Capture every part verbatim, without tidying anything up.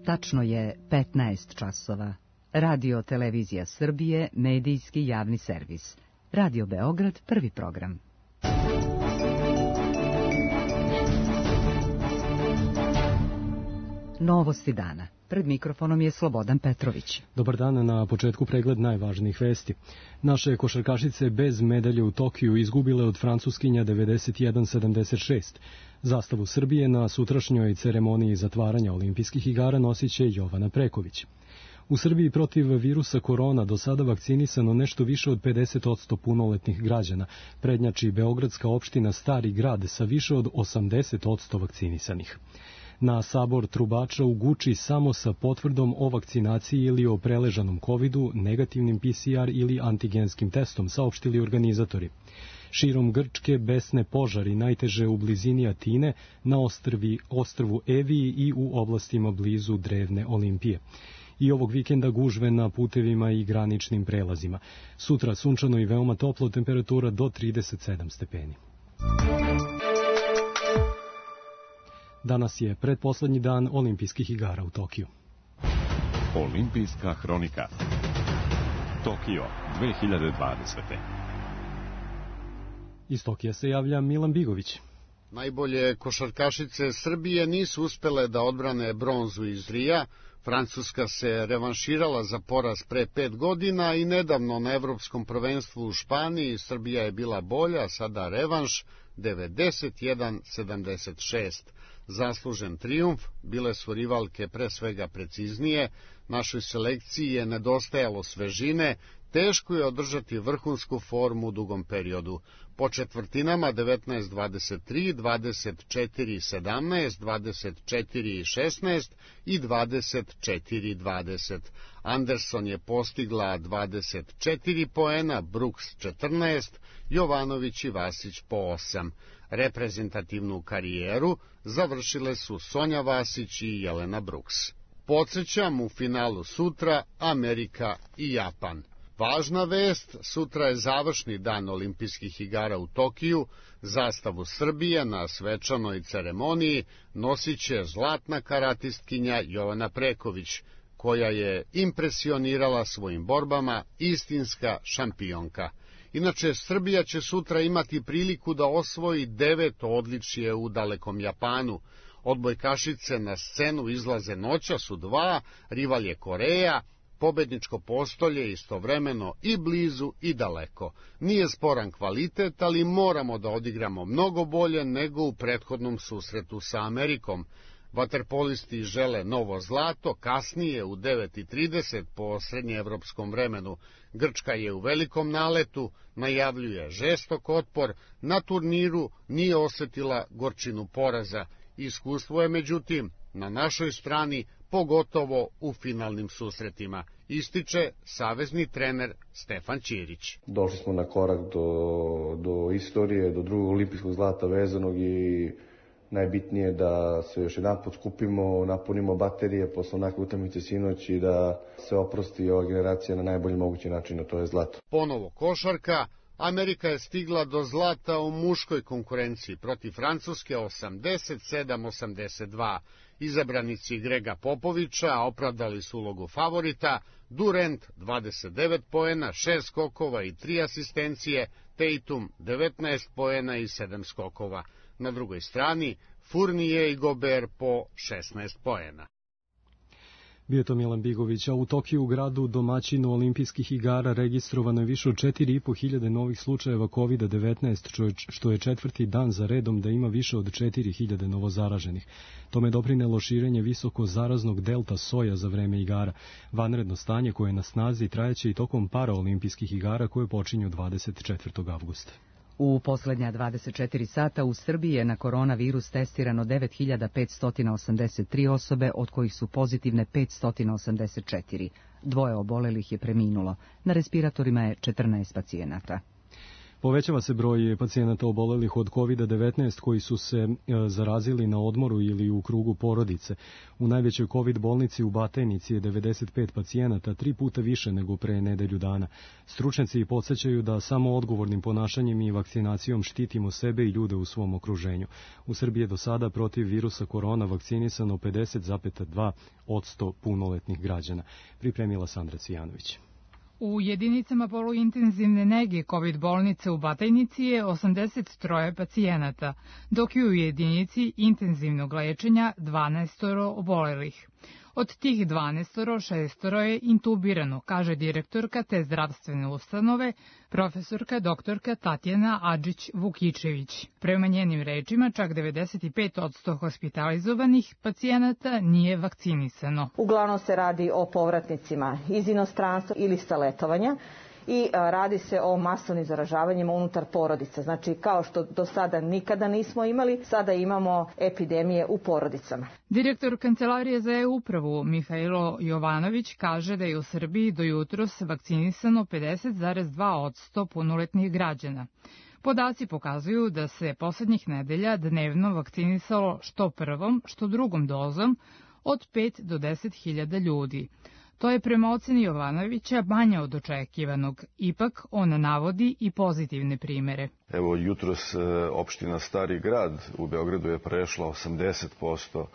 Tačno je petnaest časova. Radio Televizija Srbije, medijski javni servis. Radio Beograd, prvi program. Novosti dana. Pred mikrofonom je Slobodan Petrović. Dobar dan, na početku pregled najvažnijih vesti. Naše košarkašice bez medalje u Tokiju izgubile od Francuskinja devedeset jedan sedamdeset šest. Zastavu Srbije na sutrašnjoj ceremoniji zatvaranja olimpijskih igara nosit će Jovana Preković. U Srbiji protiv virusa korona do sada vakcinisano nešto više od pedeset posto punoletnih građana. Prednjači beogradska opština Stari grad sa više od osamdeset posto vakcinisanih. Na sabor trubača u Guči samo sa potvrdom o vakcinaciji ili o preležanom kovidu, negativnim P C R ili antigenskim testom, saopštili organizatori. Širom Grčke besne požari, najteže u blizini Atine, na ostrvi, ostrvu Eviji i u oblastima blizu drevne Olimpije. I ovog vikenda gužve na putevima i graničnim prelazima. Sutra sunčano i veoma toplo, temperatura do trideset sedam stepeni. Danas je pretposlednji dan olimpijskih igara u Tokiju. Olimpijska hronika. Tokio dve hiljade dvadesete. Iz Tokija se javlja Milan Bigović. Najbolje košarkašice Srbije nisu uspele da odbrane bronzu iz Rija. Francuska se revanširala za poraz pre pet godina i nedavno na evropskom prvenstvu u Španiji Srbija je bila bolja, sada revanš devedeset jedan sedamdeset šest. Zaslužen trijumf, bile su rivalke pre svega preciznije, našoj selekciji je nedostajalo svežine, teško je održati vrhunsku formu u dugom periodu. Po četvrtinama devetnaest dvadeset tri, dvadeset četiri sedamnaest, dvadeset četiri šesnaest i dvadeset četiri dvadeset. Anderson je postigla dvadeset četiri poena, Brooks četrnaest, Jovanović i Vasić po osam. Reprezentativnu karijeru završile su Sonja Vasić i Jelena Brooks. Podsjećam, u finalu sutra Amerika i Japan. Važna vest, sutra je završni dan olimpijskih igara u Tokiju. Zastavu Srbije na svečanoj ceremoniji nosit će zlatna karatistkinja Jovana Preković, koja je impresionirala svojim borbama, istinska šampionka. Inače, Srbija će sutra imati priliku da osvoji deveto odličje u dalekom Japanu. Odbojkašice na scenu izlaze noćas u dva, rival je Koreja, pobedničko postolje istovremeno i blizu i daleko. Nije sporan kvalitet, ali moramo da odigramo mnogo bolje nego u prethodnom susretu sa Amerikom. Vaterpolisti žele novo zlato, kasnije u devet i trideset po srednjeevropskom vremenu. Grčka je u velikom naletu, najavljuje žestok otpor, na turniru nije osetila gorčinu poraza. Iskustvo je međutim na našoj strani, pogotovo u finalnim susretima, ističe savezni trener Stefan Ćirić. Došli smo na korak do, do istorije, do drugog olimpijskog zlata vezanog i najbitnije da se još jedan put skupimo, napunimo baterije posle onakve utakmice sinoć i da se oprosti ova generacija na najbolji mogući način, a to je zlato. Ponovo košarka. Amerika je stigla do zlata u muškoj konkurenciji protiv Francuske osamdeset sedam osamdeset dva. Izabranici Grega Popovića opravdali su ulogu favorita. Durant dvadeset devet poena, šest skokova i tri asistencije, Tatum devetnaest poena i sedam skokova. Na drugoj strani Fournier i Gobert po šesnaest poena. Bio je to Milan Bigović, a u Tokiju, gradu domaćinu olimpijskih igara, registrovano je više od četiri i po hiljade novih slučajeva kovid devetnaest, što je četvrti dan za redom da ima više od četiri hiljade novozaraženih. Tome doprinelo širenje visoko zaraznog delta soja za vreme igara. Vanredno stanje koje je na snazi trajeće i tokom paraolimpijskih igara koje počinju dvadeset četvrtog avgusta. U poslednja dvadeset četiri sata u Srbiji je na koronavirus testirano devet hiljada petsto osamdeset tri osobe, od kojih su pozitivne petsto osamdeset četiri. Dvoje obolelih je preminulo. Na respiratorima je četrnaest pacijenata. Povećava se broj pacijenata obolelih od kovid devetnaest koji su se zarazili na odmoru ili u krugu porodice. U najvećoj COVID bolnici u Batajnici je devedeset pet pacijenata, tri puta više nego pre nedelju dana. Stručnjaci podsjećaju da samo odgovornim ponašanjem i vakcinacijom štitimo sebe i ljude u svom okruženju. U Srbiji je do sada protiv virusa korona vakcinisano pedeset zarez dva posto punoletnih građana. Pripremila Sandra Cijanović. U jedinicama poluintenzivne nege COVID bolnice u Batajnici je osamdeset tri pacijenata, dok je u jedinici intenzivnog lečenja dvanaest obolelih. Od tih dvanaest, šest je intubirano, kaže direktorka te zdravstvene ustanove, profesorka doktorka Tatjana Adžić-Vukičević. Prema njenim rečima, čak devedeset pet posto hospitalizovanih pacijenata nije vakcinisano. Uglavnom se radi o povratnicima iz inostranstva ili sa letovanja i radi se o masovnim zaražavanjima unutar porodica. Znači, kao što do sada nikada nismo imali, sada imamo epidemije u porodicama. Direktor Kancelarije za e-upravu Mihajlo Jovanović kaže da je u Srbiji do jutros vakcinisano pedeset zarez dva posto punoletnih građana. Podaci pokazuju da se poslednjih nedelja dnevno vakcinisalo što prvom, što drugom dozom od pet do deset hiljada ljudi. To je prema oceni Jovanovića manje od očekivanog. Ipak, on navodi i pozitivne primere. Evo, jutros opština Stari grad u Beogradu je prešla osamdeset posto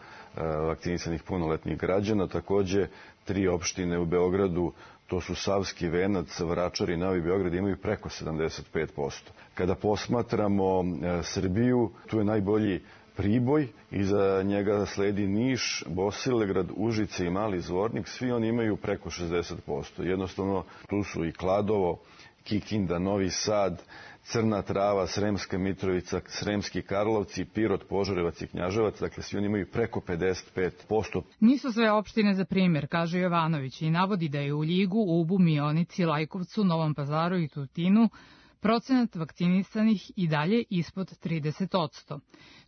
vakcinisanih punoletnih građana. Takođe, tri opštine u Beogradu, to su Savski Venac, Vračar i Novi Beograd, imaju preko sedamdeset pet posto. Kada posmatramo Srbiju, tu je najbolji Priboj, iza njega sledi Niš, Bosilegrad, Užice i Mali Zvornik, svi oni imaju preko šezdeset posto. Jednostavno, tu su i Kladovo, Kikinda, Novi Sad, Crna Trava, Sremska Mitrovica, Sremski Karlovci, Pirot, Požarevac i Knjaževac, dakle svi oni imaju preko pedeset pet posto. Nisu sve opštine za primjer, kaže Jovanović, i navodi da je u Ljigu, Ubu, Mionici, Lajkovcu, Novom Pazaru i Tutinu procenat vakcinisanih i dalje ispod trideset posto.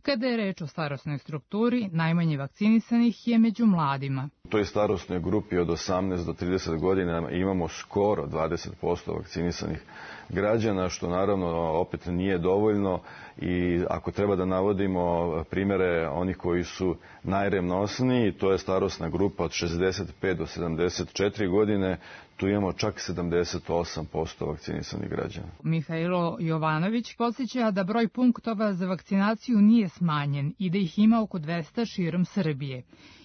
Kada je reč o starosnoj strukturi, najmanje vakcinisanih je među mladima. U toj starosnoj grupi od osamnaest do trideset godina imamo skoro dvadeset posto vakcinisanih građana, što naravno opet nije dovoljno i ako treba da navodimo primere onih koji su najrevnosniji, to je starosna grupa od šezdeset pet do sedamdeset četiri godine, tu imamo čak sedamdeset osam posto vakcinisanih građana. Mihajlo Jovanović podsjeća da broj punktova za vakcinaciju nije smanjen i da ih ima oko dvesta širom Srbije.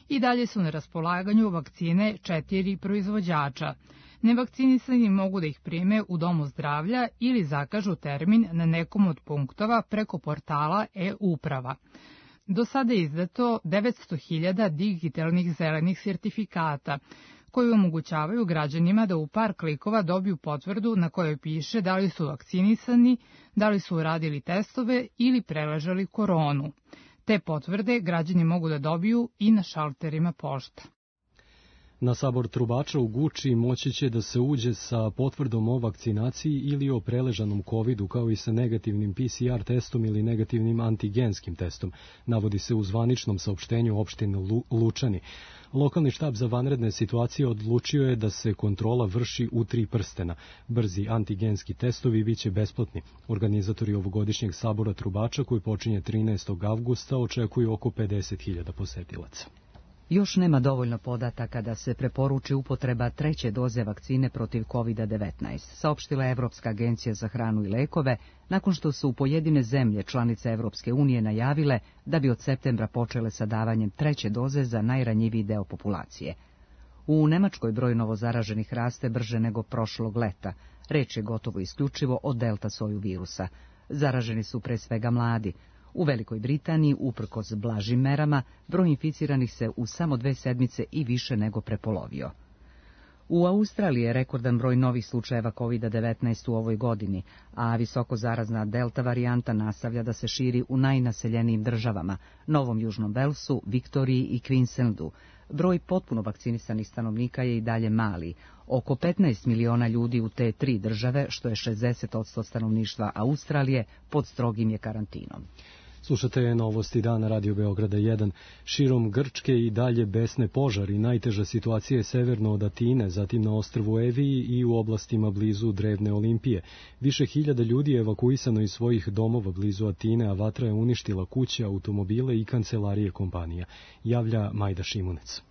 I dalje su na raspolaganju vakcine četiri proizvođača. Nevakcinisani mogu da ih prime u domu zdravlja ili zakažu termin na nekom od punktova preko portala e-uprava. Do sada je izdato devetsto hiljada digitalnih zelenih sertifikata, koji omogućavaju građanima da u par klikova dobiju potvrdu na kojoj piše da li su vakcinisani, da li su uradili testove ili preležali koronu. Te potvrde građani mogu da dobiju i na šalterima pošta. Na sabor trubača u Guči moći će da se uđe sa potvrdom o vakcinaciji ili o preležanom kovidu, kao i sa negativnim P C R testom ili negativnim antigenskim testom, navodi se u zvaničnom saopštenju opštine Lučani. Lokalni štab za vanredne situacije odlučio je da se kontrola vrši u tri prstena. Brzi antigenski testovi biće besplatni. Organizatori ovogodišnjeg sabora trubača, koji počinje trinaestog avgusta, očekuju oko pedeset hiljada posetilaca. Još nema dovoljno podataka da se preporuči upotreba treće doze vakcine protiv kovid devetnaest, saopštila Evropska agencija za hranu i lekove, nakon što su pojedine zemlje članice Evropske unije najavile da bi od septembra počele sa davanjem treće doze za najranjiviji deo populacije. U Nemačkoj broj novozaraženih raste brže nego prošlog leta. Reč je gotovo isključivo o delta soju virusa. Zaraženi su pre svega mladi. U Velikoj Britaniji, uprkos blažim merama, broj inficiranih se u samo dve sedmice i više nego prepolovio. U Australiji je rekordan broj novih slučajeva kovid devetnaest u ovoj godini, a visoko zarazna delta varijanta nastavlja da se širi u najnaseljenijim državama, Novom Južnom Velsu, Viktoriji i Queenslandu. Broj potpuno vakcinisanih stanovnika je i dalje mali, oko petnaest miliona ljudi u te tri države, što je šezdeset posto stanovništva Australije, pod strogim je karantinom. Slušate novosti dana Radio Beograda jedan. Širom Grčke i dalje besne požari. Najteža situacija je severno od Atine, zatim na ostrvu Eviji i u oblastima blizu Drevne Olimpije. Više hiljada ljudi je evakuisano iz svojih domova blizu Atine, a vatra je uništila kuće, automobile i kancelarije kompanija. Javlja Majda Šimunec.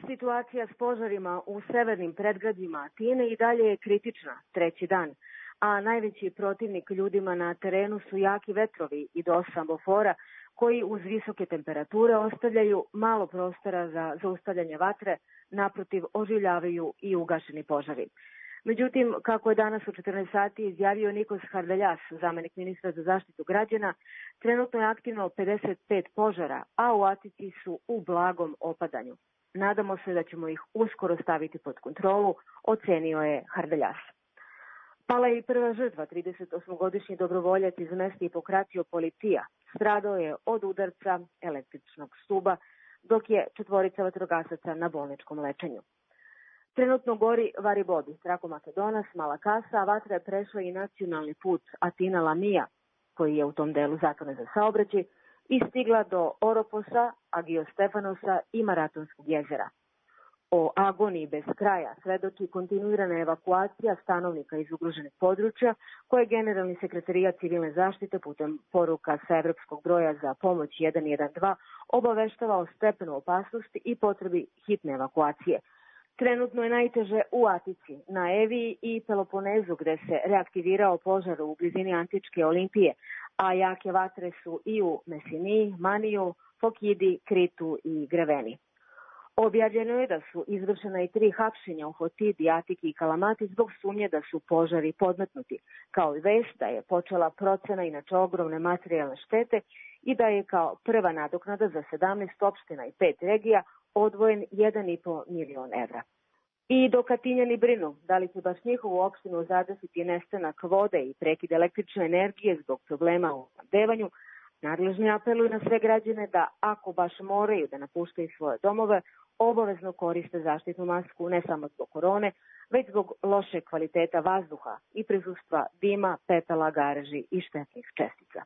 Situacija s požarima u severnim predgrađima Atine i dalje je kritična treći dan, a najveći protivnik ljudima na terenu su jaki vetrovi i dos ambofora koji uz visoke temperature ostavljaju malo prostora za zaustavljanje vatre, naprotiv oživljavaju i ugašeni požari. Međutim, kako je danas u četrnaest sati izjavio Nikos Hardeljas, zamenik ministra za zaštitu građana, trenutno je aktivno pedeset pet požara, a u Atici su u blagom opadanju. Nadamo se da ćemo ih uskoro staviti pod kontrolu, ocenio je Hardeljas. Pala je i prva žrtva, tridesetosmogodišnji dobrovoljac iz mesta Hipokratio Politija. Stradao je od udarca električnog stuba, dok je četvorica vatrogasaca na bolničkom lečenju. Trenutno gori Varibodi, Trako-Makedonas, Mala Kasa, a vatra je prešla i nacionalni put Atina-Lamija, koji je u tom delu zatvoren za saobraćaj, i stigla do Oroposa, Agiostefanosa i Maratonskog jezera. O agoniji bez kraja svedoči kontinuirana evakuacija stanovnika iz ugroženih područja, koje Generalni sekretarijat civilne zaštite putem poruka sa evropskog broja za pomoć jedan jedan dva obaveštava o stepenu opasnosti i potrebi hitne evakuacije. Trenutno je najteže u Atici, na Eviji i Peloponezu, gde se reaktivirao požar u blizini Antičke Olimpije, a jake vatre su i u Mesiniji, Maniju, Fokidi, Kritu i Greveni. Objavljeno je da su izvršena i tri hapšenja u Fotidi, Atiki i Kalamati zbog sumnje da su požari podmetnuti, kao i vest da je počela procena inače ogromne materijalne štete i da je kao prva nadoknada za sedamnaest opština i pet regija odvojen jedan i po milion evra. I dok Atinjani brinu da li će baš njihovu opštinu zadesiti nestanak vode i prekid električne energije zbog problema u snabdevanju, nadležni apeluju na sve građane da ako baš moraju da napuštaju svoje domove, obavezno koriste zaštitnu masku ne samo zbog korone, već zbog loše kvaliteta vazduha i prisustva dima, pepela, gareži i štetnih čestica.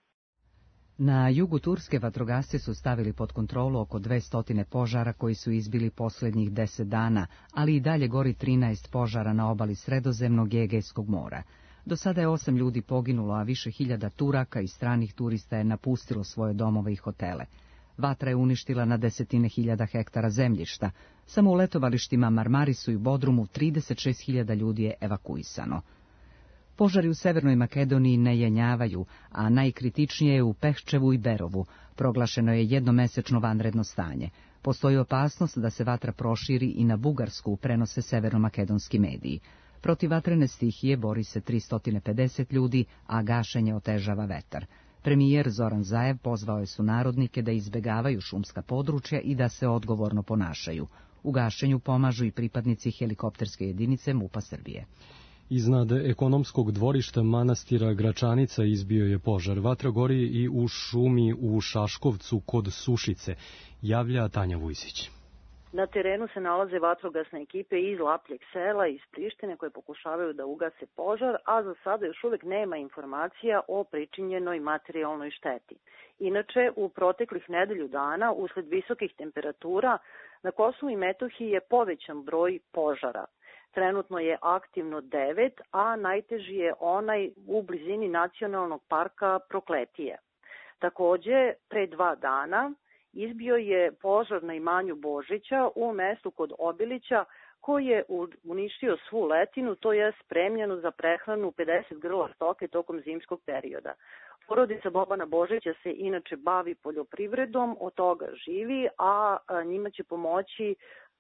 Na jugu Turske vatrogasci su stavili pod kontrolu oko dvesta požara koji su izbili posljednjih deset dana, ali i dalje gori trinaest požara na obali Sredozemnog i Egejskog mora. Do sada je osam ljudi poginulo, a više hiljada Turaka i stranih turista je napustilo svoje domove i hotele. Vatra je uništila na desetine hiljada hektara zemljišta. Samo u letovalištima Marmarisu i Bodrumu trideset šest hiljada ljudi je evakuisano. Požari u Severnoj Makedoniji ne jenjavaju, a najkritičnije je u Pehčevu i Berovu. Proglašeno je jednomesečno vanredno stanje. Postoji opasnost da se vatra proširi i na Bugarsku, prenose severnomakedonski mediji. Protiv vatrene stihije bori se tristo pedeset ljudi, a gašenje otežava vetar. Premijer Zoran Zaev pozvao je sunarodnike da izbegavaju šumska područja i da se odgovorno ponašaju. U gašenju pomažu i pripadnici helikopterske jedinice MUP-a Srbije. Iznad ekonomskog dvorišta manastira Gračanica izbio je požar. Vatra gori i u šumi u Šaškovcu kod Sušice, javlja Tanja Vujsić. Na terenu se nalaze vatrogasne ekipe iz Lapljeg sela i iz Prištine koje pokušavaju da ugase požar, a za sada još uvek nema informacija o pričinjenoj materijalnoj šteti. Inače, u proteklih nedelju dana, usled visokih temperatura, na Kosovu i Metohiji je povećan broj požara. Trenutno je aktivno devet, a najteži je onaj u blizini nacionalnog parka Prokletije. Takođe, pre dva dana izbio je požar na imanju Božića u mestu kod Obilića, koji je uništio svu letinu, to je spremljeno za prehranu pedeset grla stoke tokom zimskog perioda. Porodica Bobana Božića se inače bavi poljoprivredom, od toga živi, a njima će pomoći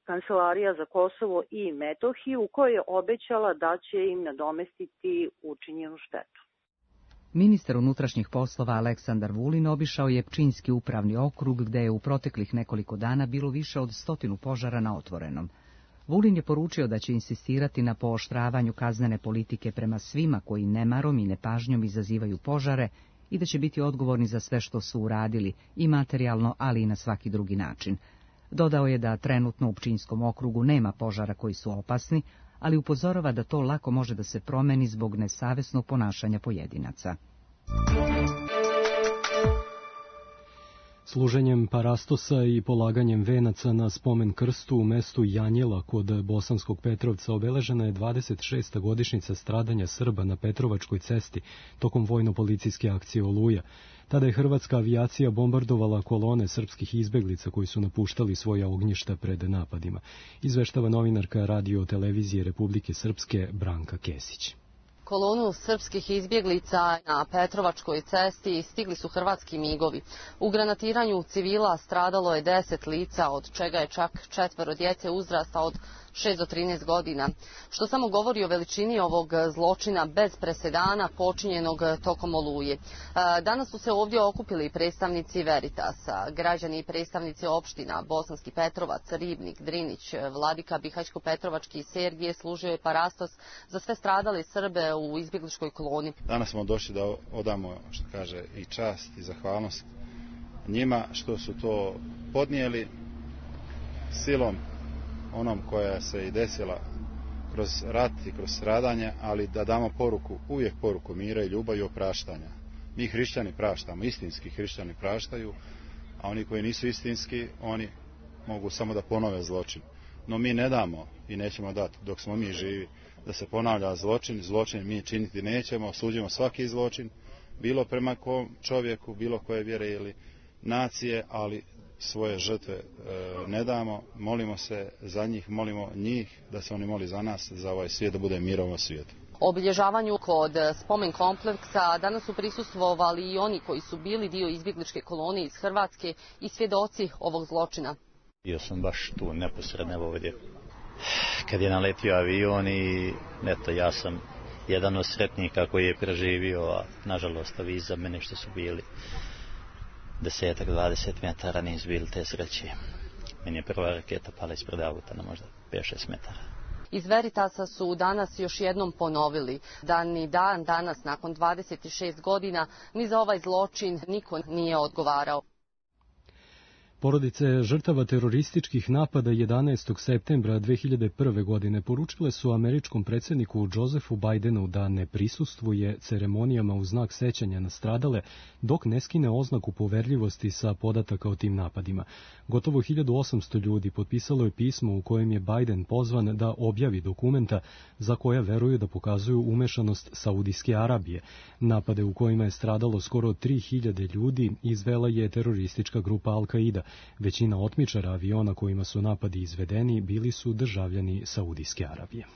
Kancelarija za Kosovo i Metohiju, koja je obećala da će im nadomestiti učinjenu štetu. Ministar unutrašnjih poslova Aleksandar Vulin obišao je Pčinjski upravni okrug, gde je u proteklih nekoliko dana bilo više od stotinu požara na otvorenom. Vulin je poručio da će insistirati na pooštravanju kaznene politike prema svima koji nemarom i nepažnjom izazivaju požare i da će biti odgovorni za sve što su uradili, i materijalno, ali i na svaki drugi način. Dodao je da trenutno u Pčinjskom okrugu nema požara koji su opasni, ali upozorava da to lako može da se promeni zbog nesavesnog ponašanja pojedinaca. Služenjem parastosa i polaganjem venaca na spomen krstu u mestu Janjela kod Bosanskog Petrovca obeležena je dvadeset šesta godišnjica stradanja Srba na Petrovačkoj cesti tokom vojno-policijske akcije Oluja. Tada je hrvatska avijacija bombardovala kolone srpskih izbeglica koji su napuštali svoja ognjišta pred napadima. Izveštava novinarka Radio televizije Republike Srpske Branka Kesić. Kolonu srpskih izbjeglica na Petrovačkoj cesti stigli su hrvatski migovi. U granatiranju civila stradalo je deset lica, od čega je čak četvero djece uzrasta od šest do trinaest godina, što samo govori o veličini ovog zločina bez presedana počinjenog tokom Oluje. Danas su se ovdje okupili predstavnici Veritasa, građani i predstavnici opština Bosanski Petrovac, Ribnik, Drinić, Vladika, Bihajsko-Petrovački i Sergije služio je parastos za sve stradale Srbe u izbjegličkoj koloni. Danas smo došli da odamo, što kaže, i čast i zahvalnost njima što su to podnijeli silom onom koja se i desila kroz rat i kroz stradanje, ali da damo poruku, uvijek poruku mira i ljubavi i opraštanja. Mi hrišćani praštamo, istinski hrišćani praštaju, a oni koji nisu istinski, oni mogu samo da ponove zločin. No mi ne damo i nećemo dati dok smo mi živi da se ponavlja zločin. Zločin mi činiti nećemo, osuđujemo svaki zločin, bilo prema kom čovjeku, bilo koje vjere ili nacije, ali svoje žrtve e, ne damo, molimo se za njih, molimo njih da se oni moli za nas, za ovaj svijet, da bude mir ovom svijetu. Obilježavanju kod spomen kompleksa danas su prisustvovali i oni koji su bili dio izbjegličke kolonije iz Hrvatske i svjedoci ovog zločina. Bio sam baš tu neposredno ovdje kad je naletio avion i eto, ja sam jedan od sretnika koji je preživio, a nažalost ovi iza mene što su bili desetak, dvadeset metara nisu bili te sreće. Meni je prva raketa pala ispred auta na možda pet šest metara. Iz Veritasa su danas još jednom ponovili da ni dan danas, nakon dvadeset šest godina, ni za ovaj zločin niko nije odgovarao. Porodice žrtava terorističkih napada jedanaestog septembra dve hiljade prve. godine poručile su američkom predsjedniku Josephu Bidenu da ne prisustvuje ceremonijama u znak sećanja na stradale dok ne skine oznaku poverljivosti sa podataka o tim napadima. Gotovo hiljadu osamsto ljudi potpisalo je pismo u kojem je Biden pozvan da objavi dokumenta za koja veruju da pokazuju umešanost Saudijske Arabije. Napade u kojima je stradalo skoro tri hiljade ljudi izvela je teroristička grupa Al-Qaida. Većina otmičara aviona kojima su napadi izvedeni bili su državljani Saudijske Arabije.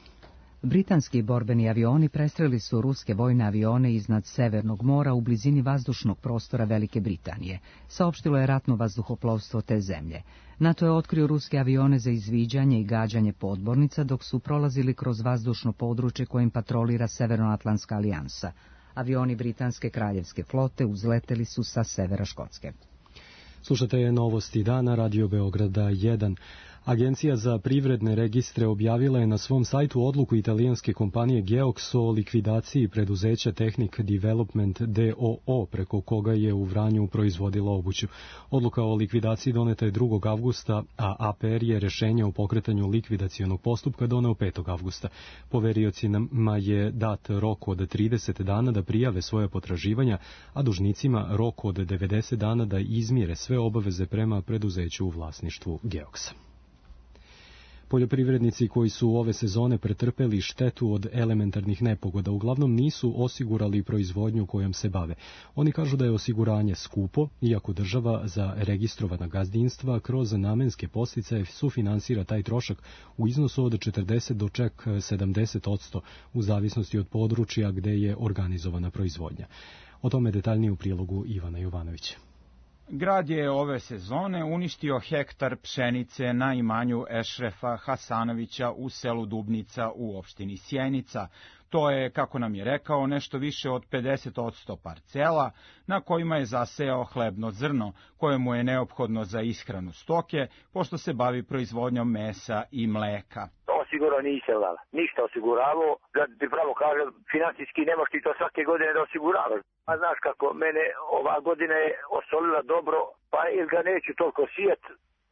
Britanski borbeni avioni prestreli su ruske vojne avione iznad Severnog mora u blizini vazdušnog prostora Velike Britanije, saopštilo je ratno vazduhoplovstvo te zemlje. NATO je otkrio ruske avione za izviđanje i gađanje podmornica dok su prolazili kroz vazdušno područje kojim patrolira Severnoatlantska alijansa. Avioni britanske kraljevske flote uzleteli su sa severa Škotske. Slušate novosti dana, Radio Beograda jedan. Agencija za privredne registre objavila je na svom sajtu odluku italijanske kompanije Geox o likvidaciji preduzeća Technic Development d o o preko koga je u Vranju proizvodila obuću. Odluka o likvidaciji doneta je drugog avgusta, a A P R je rješenje o pokretanju likvidacionog postupka doneo petog avgusta. Poveriocima je dat rok od trideset dana da prijave svoje potraživanja, a dužnicima rok od devedeset dana da izmire sve obaveze prema preduzeću u vlasništvu Geoxa. Poljoprivrednici koji su ove sezone pretrpeli štetu od elementarnih nepogoda uglavnom nisu osigurali proizvodnju kojom se bave. Oni kažu da je osiguranje skupo, iako država za registrovana gazdinstva kroz namenske podsticaje sufinansira taj trošak u iznosu od četrdeset do čak sedamdeset posto u zavisnosti od područja gde je organizovana proizvodnja. O tome detaljnije u prilogu Ivana Jovanovića. Grad je ove sezone uništio hektar pšenice na imanju Ešrefa Hasanovića u selu Dubnica u opštini Sjenica. To je, kako nam je rekao, nešto više od pedeset posto parcela na kojima je zasejao hlebno zrno, koje mu je neophodno za ishranu stoke, pošto se bavi proizvodnjom mesa i mleka. Osigurao nisam, ništa osiguravao, da ti pravo kažem, financijski nemaš ti to svake godine da osiguravaš. A znaš kako, mene ova godina je osolila dobro, pa ili ga neću toliko sijet,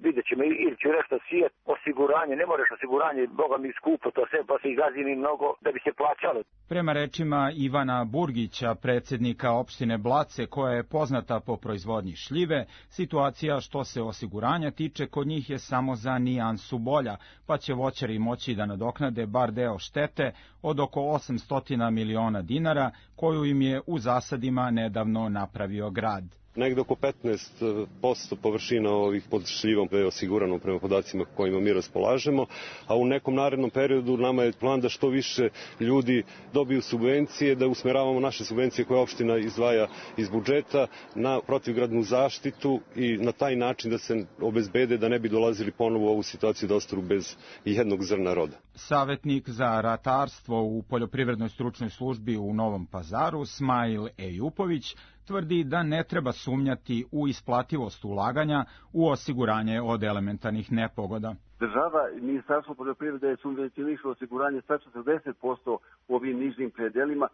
vidjet ćemo, ili ću nešto sijet, osiguranje, ne moraš osiguranje, boga mi skupo to sve, pa se i gazini mnogo da bi se plaćalo. Prema rečima Ivana Burgića, predsjednika opštine Blace, koja je poznata po proizvodnji šljive, situacija što se osiguranja tiče kod njih je samo za nijansu bolja, pa će voćari moći da nadoknade bar deo štete od oko osamsto miliona dinara, koju im je u zasadima nedavno napravio grad. Negde oko petnaest posto površina ovih pod šljivom je osigurano prema podacima kojima mi raspolažemo, a u nekom narednom periodu nama je plan da što više ljudi dobiju subvencije, da usmeravamo naše subvencije koje opština izdvaja iz budžeta na protivgradnu zaštitu i na taj način da se obezbede da ne bi dolazili ponovo u ovu situaciju da ostanu bez jednog zrna roda. Savetnik za ratarstvo u Poljoprivrednoj stručnoj službi u Novom Pazaru, Smajl Ejupović, tvrdi da ne treba sumnjati u isplativost ulaganja u osiguranje od elementarnih nepogoda. Država i Ministarstvo poljoprivrede je subvencionišlo osiguranje sa četrdeset posto u ovim nižnim predelima,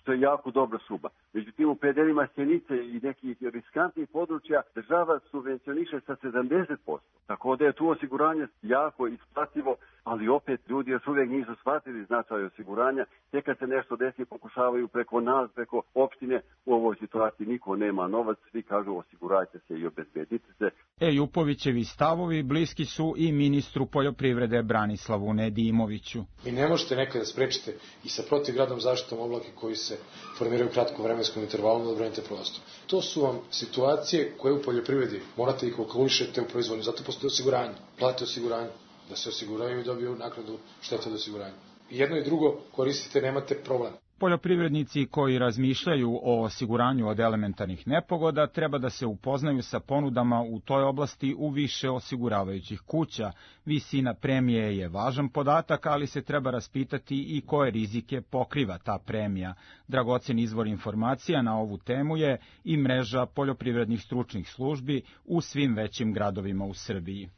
što je jako dobra suma. Međutim, u predelima Sjenice i nekih riskantnih područja država subvencioniše sa sedamdeset posto. Tako da je tu osiguranje jako isplativo, ali opet ljudi još uvijek nisu shvatili značaj osiguranja. Tek kad se nešto desi pokušavaju preko nas, preko opštine, u ovoj situaciji niko nema novac, svi kažu osigurajte se i obezbedite se. Ejupovićevi stavovi bliski su i ministru poljoprivrede Branislavu Nedimoviću. Vi ne možete nekada sprečiti i sa protivgradnom zaštitom oblake koji se formiraju u kratkom vremenskom intervalu da odbranite prostor. To su vam situacije koje u poljoprivredi morate ih kalkulišete u proizvodnju, zato postoje osiguranje, plate osiguranje, da se osiguraju i dobiju naknadu štete od osiguranja. Jedno i drugo koristite, nemate problem. Poljoprivrednici koji razmišljaju o osiguranju od elementarnih nepogoda treba da se upoznaju sa ponudama u toj oblasti u više osiguravajućih kuća. Visina premije je važan podatak, ali se treba raspitati i koje rizike pokriva ta premija. Dragocen izvor informacija na ovu temu je i mreža poljoprivrednih stručnih službi u svim većim gradovima u Srbiji.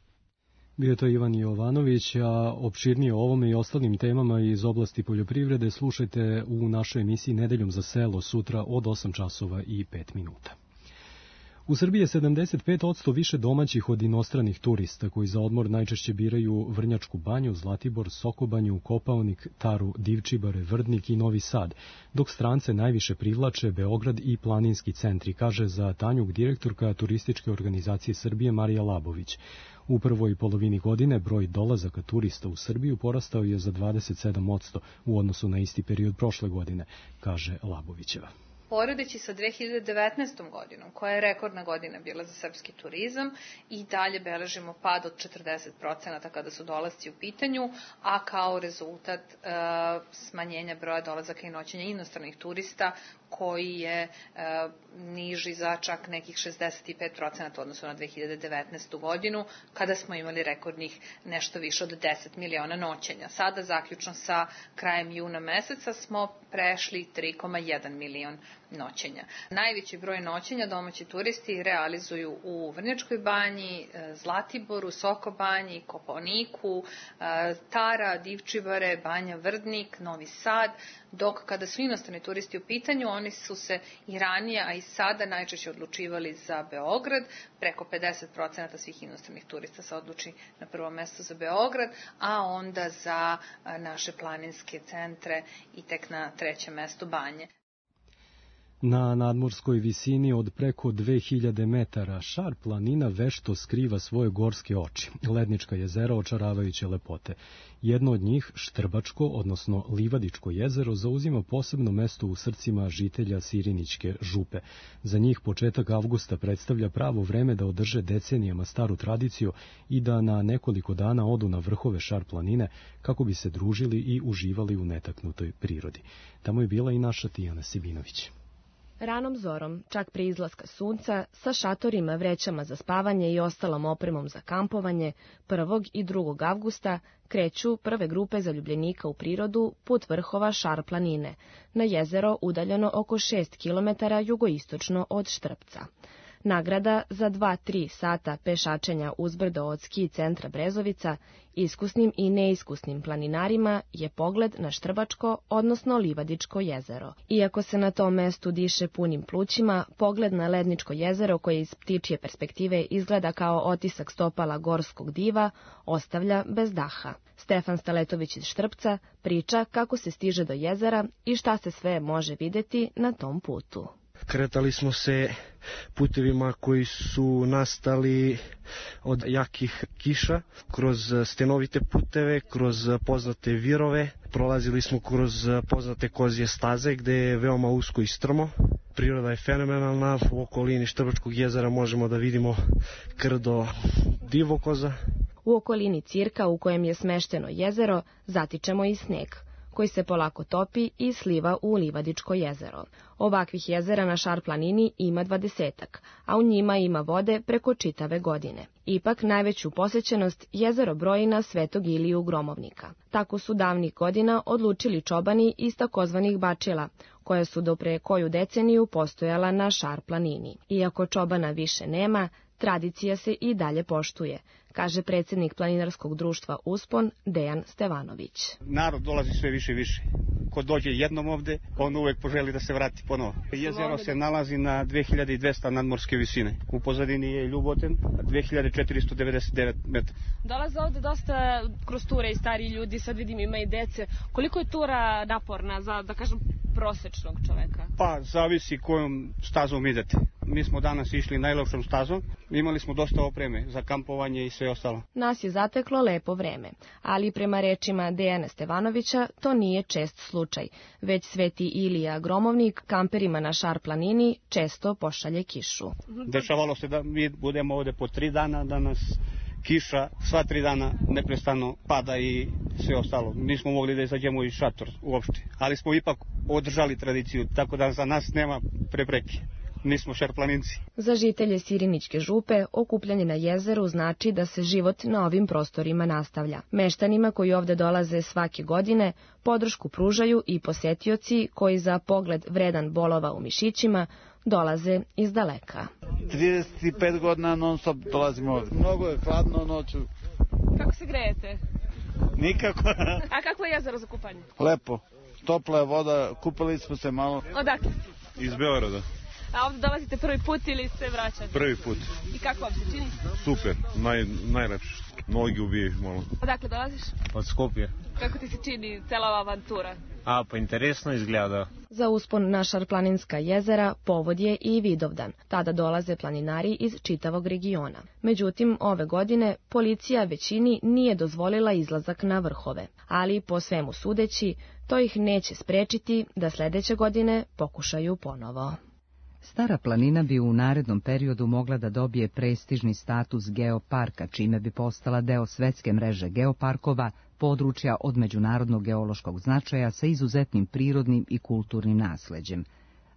Bio je to Ivan Jovanović, a opširnije o ovome i ostalim temama iz oblasti poljoprivrede slušajte u našoj emisiji Nedeljom za selo sutra od osam časova i pet minuta. U Srbiji je sedamdeset pet posto više domaćih od inostranih turista koji za odmor najčešće biraju Vrnjačku banju, Zlatibor, Sokobanju, Kopaonik, Taru, Divčibare, Vrdnik i Novi Sad, dok strance najviše privlače Beograd i planinski centri, kaže za Tanjuk direktorka turističke organizacije Srbije Marija Labović. U prvoj polovini godine broj dolazaka turista u Srbiju porastao je za dvadeset sedam posto u odnosu na isti period prošle godine, kaže Labovićeva. Poredeći sa dve hiljade devetnaestom godinom, koja je rekordna godina bila za srpski turizam, i dalje beležimo pad od četrdeset posto kada su dolasci u pitanju, a kao rezultat e, smanjenja broja dolazaka i noćenja inostranih turista, koji je e, niži za čak nekih šezdeset pet posto u odnosu na dve hiljade devetnaestu godinu, kada smo imali rekordnih nešto više od deset miliona noćenja. Sada, zaključno sa krajem juna meseca, smo prešli tri zarez jedan milion noćenja. Najveći broj noćenja domaći turisti realizuju u Vrnjačkoj banji, Zlatiboru, Sokobanji, Kopaoniku, Tara, Divčibare, Banja Vrdnik, Novi Sad, dok kada su inostrani turisti u pitanju, oni su se i ranije, a i sada najčešće odlučivali za Beograd. Preko pedeset posto svih inostranih turista se odluči na prvo mesto za Beograd, a onda za naše planinske centre i tek na trećem mestu Banje. Na nadmorskoj visini od preko dve hiljade metara Šar planina vešto skriva svoje gorske oči, lednička jezera očaravajuće lepote. Jedno od njih, Štrbačko, odnosno Livadičko jezero, zauzima posebno mesto u srcima žitelja Sirinićke župe. Za njih početak avgusta predstavlja pravo vreme da održe decenijama staru tradiciju i da na nekoliko dana odu na vrhove Šar planine kako bi se družili i uživali u netaknutoj prirodi. Tamo je bila i naša Tijana Sibinović. Ranom zorom, čak prije izlaska sunca, sa šatorima, vrećama za spavanje i ostalom opremom za kampovanje, prvog i drugog avgusta kreću prve grupe zaljubljenika u prirodu put vrhova Šar planine, na jezero udaljeno oko šest kilometara jugoistočno od Štrpca. Nagrada za dva do tri sata pešačenja uzbrdo od ski centra Brezovica iskusnim i neiskusnim planinarima je pogled na Štrbačko, odnosno Livadičko jezero. Iako se na tom mestu diše punim plućima, pogled na Ledničko jezero koje iz ptičje perspektive izgleda kao otisak stopala gorskog diva ostavlja bez daha. Stefan Staletović iz Štrpca priča kako se stiže do jezera i šta se sve može videti na tom putu. Kretali smo se putevima koji su nastali od jakih kiša, kroz stenovite puteve, kroz poznate virove. Prolazili smo kroz poznate kozje staze gde je veoma usko i strmo. Priroda je fenomenalna, u okolini Štrbačkog jezera možemo da vidimo krdo divokoza. U okolini cirka u kojem je smešteno jezero zatičemo i sneg, koji se polako topi i sliva u Livadičko jezero. Ovakvih jezera na Šar planini ima dvadesetak, a u njima ima vode preko čitave godine. Ipak najveću posećenost jezero broji na Svetog Iliju Gromovnika. Tako su davnih godina odlučili čobani iz takozvanih bačila, koja su do pre koju deceniju postojala na Šar planini. Iako čobana više nema, tradicija se i dalje poštuje, kaže predsjednik planinarskog društva Uspon Dejan Stevanović. Narod dolazi sve više i više. Ko dođe jednom ovde, on uvek poželi da se vrati ponovo. Jezero se nalazi na dve hiljade dvesta nadmorske visine. U pozadini je Ljuboten, dve hiljade četiristo devedeset devet metara. Dolaze ovde dosta kroz ture i stariji ljudi, sad vidim ima i dece. Koliko je tura naporna za, da kažem, prosečnog čoveka? Pa, zavisi kojom stazom idete. Mi smo danas išli najlepšom stazom, imali smo dosta opreme za kampovanje i sve ostalo. Nas je zateklo lepo vreme, ali prema rečima Dejana Stevanovića to nije čest slučaj, već Sveti Ilija Gromovnik kamperima na Šar planini često pošalje kišu. Dešavalo se da mi budemo ovde po tri dana, da nas kiša sva tri dana neprestano pada i sve ostalo. Nismo mogli da izađemo iz šator uopšte, ali smo ipak održali tradiciju, tako da za nas nema prepreke. Nismo šarplaninci. Za žitelje Sirinićke župe okupljanje na jezeru znači da se život na ovim prostorima nastavlja. Meštanima koji ovde dolaze svake godine podršku pružaju i posetioci koji za pogled vredan bolova u mišićima dolaze iz daleka. trideset pet godina non stop dolazimo ovde. Mnogo je hladno noću. Kako se grejete? Nikako. A kako je jezero za kupanje? Lepo. Topla je voda, kupali smo se malo. Odakle? Iz Beograda. A ovdje dolazite prvi put ili se vraćate? Prvi put. I kako vam se čini? Super, naj, najlepše. Nogi ubiješ malo. Odakle dolaziš? Od Skopje. Kako ti se čini cela ova avantura? A, pa interesno izgleda. Za uspon na Šarplaninska jezera povod je i Vidovdan. Tada dolaze planinari iz čitavog regiona. Međutim, ove godine policija većini nije dozvolila izlazak na vrhove. Ali, po svemu sudeći, to ih neće sprečiti da sledeće godine pokušaju ponovo. Stara planina bi u narednom periodu mogla da dobije prestižni status geoparka, čime bi postala deo svetske mreže geoparkova, područja od međunarodnog geološkog značaja sa izuzetnim prirodnim i kulturnim nasleđem.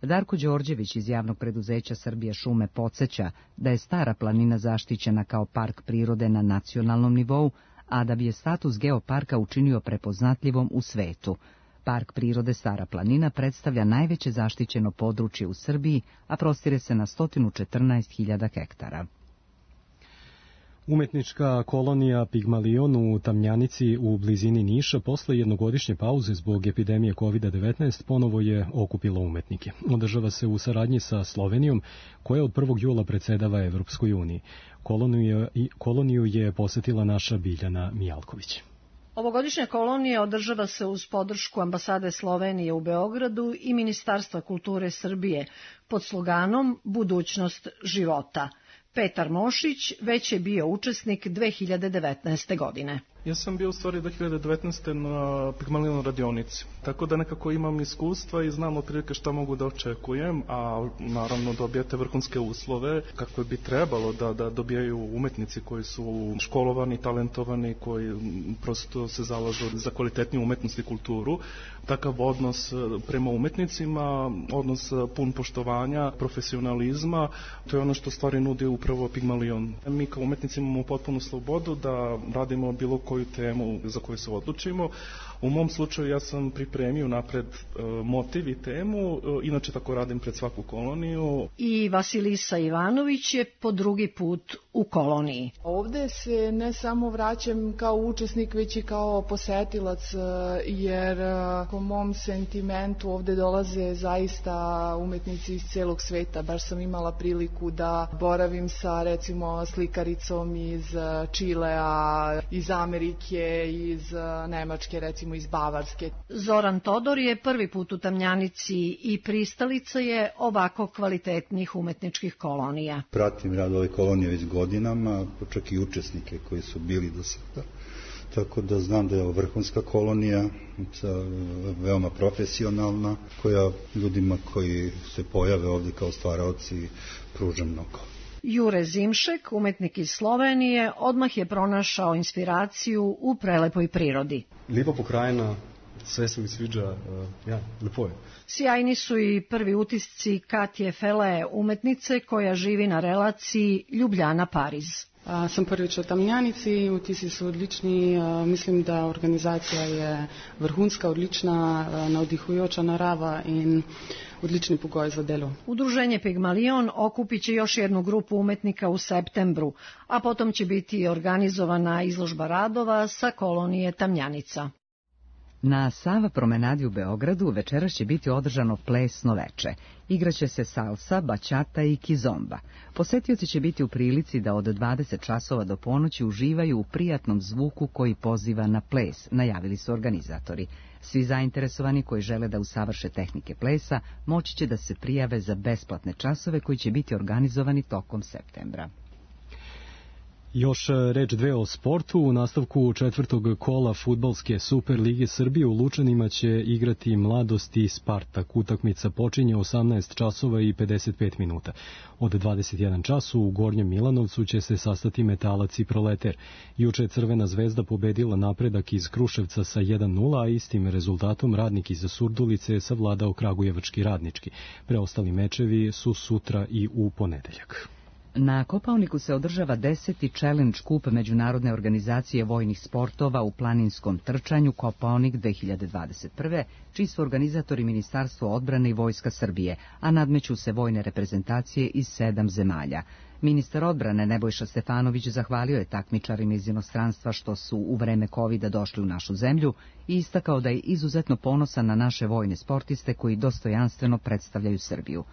Darko Đorđević iz javnog preduzeća Srbije šume podsjeća da je Stara planina zaštićena kao park prirode na nacionalnom nivou, a da bi je status geoparka učinio prepoznatljivom u svetu. Park prirode Stara planina predstavlja najveće zaštićeno područje u Srbiji, a prostire se na sto četrnaest hiljada hektara. Umetnička kolonija Pigmalion u Tamnjanici u blizini Niša posle jednogodišnje pauze zbog epidemije kovid devetnaest ponovo je okupila umetnike. Održava se u saradnji sa Slovenijom, koja od prvog jula predsedava Evropskoj uniji. Koloniju, koloniju je posetila naša Biljana Mijalković. Ovogodišnja kolonija održava se uz podršku ambasade Slovenije u Beogradu i Ministarstva kulture Srbije pod sloganom Budućnost života. Petar Mošić već je bio učesnik dve hiljade devetnaeste. godine. Ja sam bio u stvari dve hiljade devetnaeste. na Pigmalion radionici, tako da nekako imam iskustva i znam otprilike šta mogu da očekujem, a naravno dobijate vrhunske uslove kakve bi trebalo da, da dobijaju umetnici koji su školovani, talentovani, koji prosto se zalažu za kvalitetniju umetnost i kulturu. Takav odnos prema umetnicima, odnos pun poštovanja, profesionalizma, to je ono što stvari nudi upravo Pigmalion. Mi kao umetnici imamo potpunu slobodu da radimo bilo koju koju temu za koju se odlučimo. U mom slučaju ja sam pripremio napred motiv i temu, inače tako radim pred svaku koloniju. I Vasilisa Ivanović je po drugi put u koloniji. Ovde se ne samo vraćam kao učesnik, već i kao posetilac, jer po mom sentimentu ovde dolaze zaista umetnici iz celog sveta. Baš sam imala priliku da boravim sa recimo slikaricom iz Čilea, iz Amerike, iz Nemačke, recimo iz Bavarske. Zoran Todor je prvi put u Tamjanici i pristalica je ovako kvalitetnih umetničkih kolonija. Pratim rad ove kolonije već godinama, čak i učesnike koji su bili do sada. Tako da znam da je ovo vrhunska kolonija, veoma profesionalna, koja ljudima koji se pojave ovde kao stvaraoci pruža mnogo. Jure Zimšek, umetnik iz Slovenije, odmah je pronašao inspiraciju u prelepoj prirodi. Lijepa pokrajina, sve se mi sviđa, ja, lepo je. Sjajni su i prvi utisci Katje Fele, umetnice koja živi na relaciji Ljubljana-Pariz. A, sam prvič v Tamjanici, vtisi su odlični, a, mislim da organizacija je vrhunska, odlična, a, navdihujoča narava in odlični pogoj za delo. Udruženje Pigmalion okupit će još jednu grupu umetnika u septembru, a potom će biti organizovana izložba radova sa kolonije Tamjanica. Na Sava promenadi u Beogradu večeras će biti održano plesno veče. Igraće se salsa, bačata i kizomba. Posetioci će biti u prilici da od dvadeset časova do ponoći uživaju u prijatnom zvuku koji poziva na ples, najavili su organizatori. Svi zainteresovani koji žele da usavrše tehnike plesa moći će da se prijave za besplatne časove koji će biti organizovani tokom septembra. Još reč dve o sportu. U nastavku četvrtog kola fudbalske Super lige Srbije u Lučanima će igrati Mladost i Spartak. Utakmica počinje osamnaest časova i pedeset pet minuta. Od dvadeset jedan času u Gornjem Milanovcu će se sastati Metalac i Proleter. Juče je Crvena zvezda pobedila Napredak iz Kruševca sa jedan nula, a istim rezultatom Radnik iz Surdulice je savladao Kragujevački Radnički. Preostali mečevi su sutra i u ponedeljak. Na Kopaoniku se održava deseti Challenge Kup Međunarodne organizacije vojnih sportova u planinskom trčanju Kopaonik dve hiljade dvadeset prve, čiji su organizatori Ministarstvo odbrane i Vojska Srbije, a nadmeću se vojne reprezentacije iz sedam zemalja. Ministar odbrane Nebojša Stefanović zahvalio je takmičarima iz inostranstva što su u vreme kovida došli u našu zemlju i istakao da je izuzetno ponosan na naše vojne sportiste koji dostojanstveno predstavljaju Srbiju.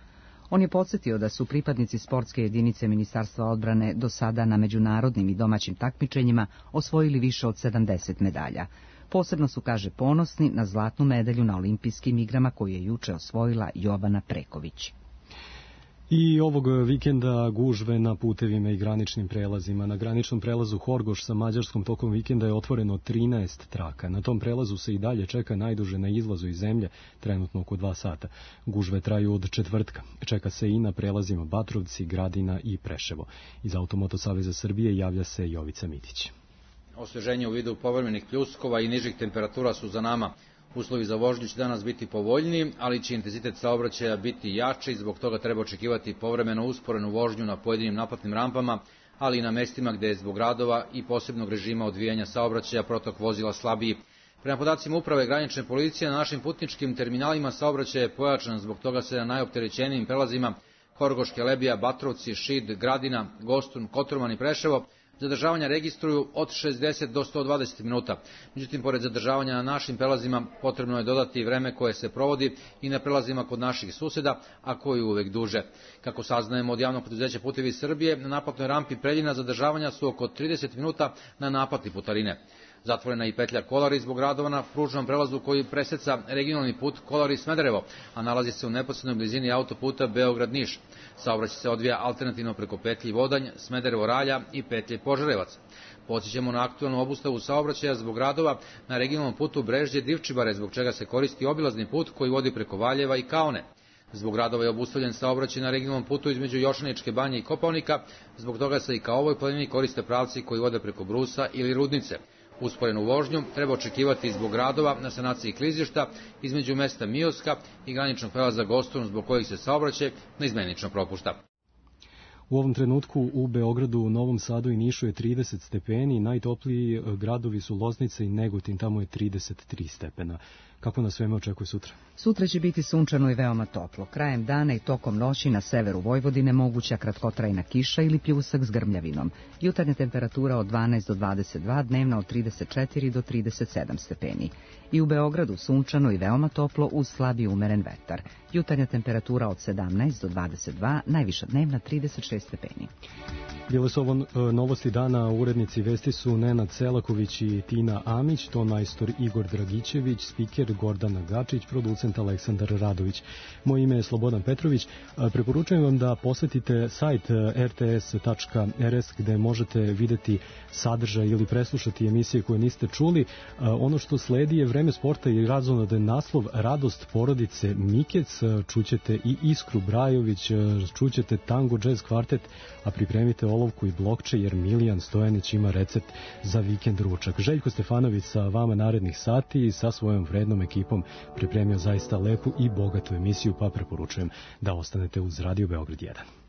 On je podsjetio da su pripadnici sportske jedinice Ministarstva odbrane do sada na međunarodnim i domaćim takmičenjima osvojili više od sedamdeset medalja. Posebno su, kaže, ponosni na zlatnu medalju na olimpijskim igrama koju je juče osvojila Jovana Preković. I ovog vikenda gužve na putevima i graničnim prelazima. Na graničnom prelazu Horgoš sa Mađarskom tokom vikenda je otvoreno trinaest traka. Na tom prelazu se i dalje čeka najduže na izlazu iz zemlje, trenutno oko dva sata. Gužve traju od četvrtka. Čeka se i na prelazima Batrovci, Gradina i Preševo. Iz Automoto Saveza Srbije javlja se Jovica Mitić. Osveženje u vidu povremenih pljuskova i nižih temperatura su za nama. Uslovi za vožnju će danas biti povoljniji, ali će intenzitet saobraćaja biti jači i zbog toga treba očekivati povremeno usporenu vožnju na pojedinim naplatnim rampama, ali i na mestima gde je zbog radova i posebnog režima odvijanja saobraćaja protok vozila slabiji. Prema podacima Uprave granične policije, na našim putničkim terminalima saobraćaj je pojačan, zbog toga se na najopterećenijim prelazima Horgoš, Kelebija, Batrovci, Šid, Gradina, Gostun, Kotorman i Preševo zadržavanja registruju od šezdeset do sto dvadeset minuta. Međutim, pored zadržavanja na našim prelazima, potrebno je dodati vreme koje se provodi i na prelazima kod naših suseda, a koji uvek duže. Kako saznajemo od javnog preduzeća Putevi Srbije, na naplatnoj rampi Preljina zadržavanja su oko trideset minuta na naplatni putarine. Zatvorena i petlja Kolari zbog radova na pružnom prelazu koji preseca regionalni put Kolari-Smederevo, a nalazi se u neposrednoj blizini autoputa Beograd-Niš. Saobraćaj se odvija alternativno preko petlji Vodanj, Smederevo-Ralja i petlje Požarevac. Podsjećamo na aktualnu obustavu saobraćaja zbog radova na regionalnom putu Brežđe-Divčibare, zbog čega se koristi obilazni put koji vodi preko Valjeva i Kaone. Zbog radova je obustavljen saobraćaj na regionalnom putu između Jošaničke banje i Kopaonika, zbog toga se i ka ovoj planini koriste pravci koji vode preko Brusa ili Rudnice. Usporenu vožnju treba očekivati zbog radova na sanaciji klizišta između mesta Mioska i graničnog prelaza Gostun, zbog kojih se saobraćaj neizmenično propušta. U ovom trenutku u Beogradu, Novom Sadu i Nišu je trideset stepeni, najtopliji gradovi su Loznica i Negotin, tamo je trideset tri stepena. Kako nas sveme očekuje sutra? Sutra će biti sunčano i veoma toplo. Krajem dana i tokom noći na severu Vojvodine moguća kratkotrajna kiša ili pljusak s grmljavinom. Jutarnja temperatura od dvanaest do dvadeset dva, dnevna od trideset četiri do trideset sedam stepeni. I u Beogradu sunčano i veoma toplo uz slab i umeren vetar. Jutarnja temperatura od sedamnaest do dvadeset dva, najviša dnevna trideset šest stepeni. Bile su ovo novosti dana, urednici vesti su Nenad Selaković i Tina Amić, ton majstor Igor Dragićević, spiker Gordana Gačić, producent Aleksandar Radović. Moje ime je Slobodan Petrović. Preporučujem vam da posetite sajt er te es tačka er es gde možete videti sadržaj ili preslušati emisije koje niste čuli. Ono što sledi je Vreme sporta i razonodan naslov Radost porodice Mikec. Čućete i Iskru Brajović, čućete Tango Jazz kvartet, a pripremite olovku i blokče jer Milijan Stojanić ima recept za vikend ručak. Željko Stefanović sa vama narednih sati i sa svojom vrednom ekipom pripremio zaista lepu i bogatu emisiju, pa preporučujem da ostanete uz Radio Beograd jedan.